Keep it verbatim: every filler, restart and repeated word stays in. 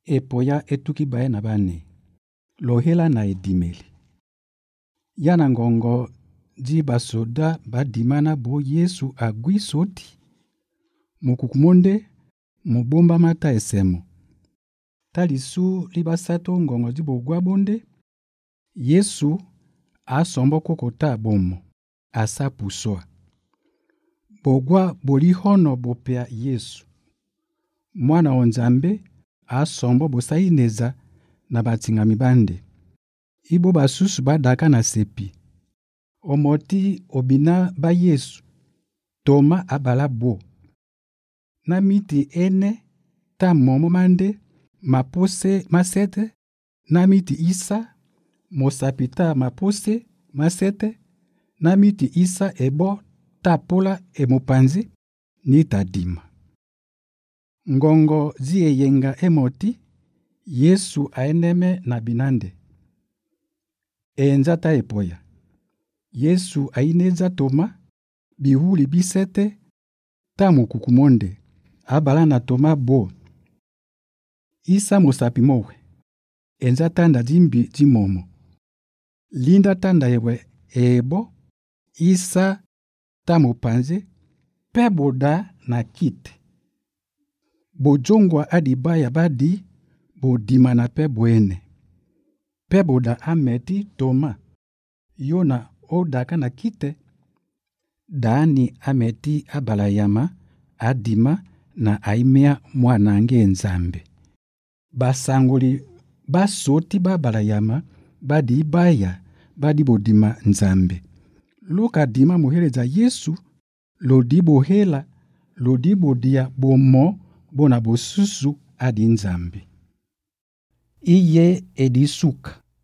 epoya etuki baye na bane lohela na edimeli yana ngongo di basoda badimana bo Yesu agui soti mukukumonde mubomba mata esemo talisu libasato ngongo di bogwa bonde Yesu asombo kokota bomo asapuswa bogwa bolihono bopea Yesu mwana wa Nzambe asombo bosaineza na batingami bande ibo basusu badaka na sepi omoti obina ba Yesu Toma abala bo na miti ene ta momo mande mapose masete na miti isa mosapita mapose masete na miti isa ebo tapola emopanzi ni tadima ngongo ziyeyenga emoti Yesu aeneme na binande enza ta epoya Yesu aineza Toma bihuli bisete ta mukukumonde abala na Toma bo isa mosapi mowe enza tanda dimbi dimomo linda tanda yewe ebo isa ta mopanze pe boda na kite bojongwa adibaya badi bodima na pe boene pe boda ameti Toma yona odaka na kite dani ameti abalayama adima na aimea mwanange Nzambe basangoli basoti babalayama badi baya badi bodima Nzambe luka dima muheleza Yesu lodi bohela lodi bodia bomo bona bosusu adi Nzambe iye edisuka